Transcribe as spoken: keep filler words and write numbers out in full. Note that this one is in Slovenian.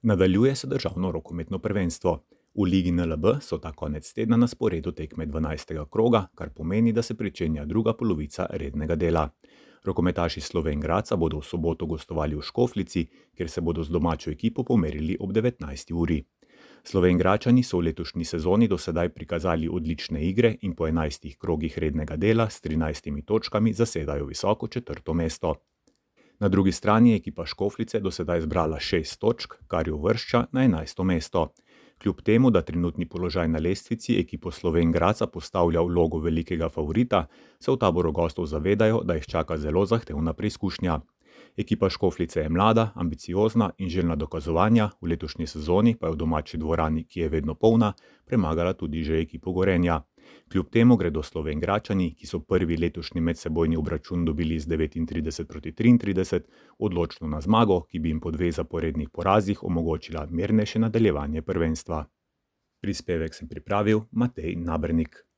Nadaljuje se državno rokometno prvenstvo. V Ligi N L B so ta konec tedna na sporedu tekme dvanajstega kroga, kar pomeni, da se pričenja druga polovica rednega dela. Rokometaši Slovenj Gradca bodo v soboto gostovali v Škofljici, kjer se bodo z domačo ekipo pomerili ob devetnajsti uri. Slovenjgradčani so v letošnji sezoni do sedaj prikazali odlične igre in po enajstih krogih rednega dela s trinajstimi točkami zasedajo visoko četrto mesto. Na drugi strani je ekipa Škofljice do sedaj zbrala šest točk, kar jo uvršča na enajsto mesto. Kljub temu, da trenutni položaj na lestvici ekipo Slovenj Gradca postavlja v vlogo velikega favorita, se v taboru gostov zavedajo, da jih čaka zelo zahtevna preizkušnja. Ekipa Škofljice je mlada, ambiciozna in željna dokazovanja, v letošnji sezoni pa je v domači dvorani, ki je vedno polna, premagala tudi že ekipo Gorenja. Kljub temu gredo Slovenjgradčani, ki so prvi letošnji medsebojni obračun dobili z devetintrideset proti triintrideset, odločno na zmago, ki bi jim po dveh zaporednih porazih omogočila mirnejše nadaljevanje prvenstva. Prispevek sem pripravil Matej Nabernik.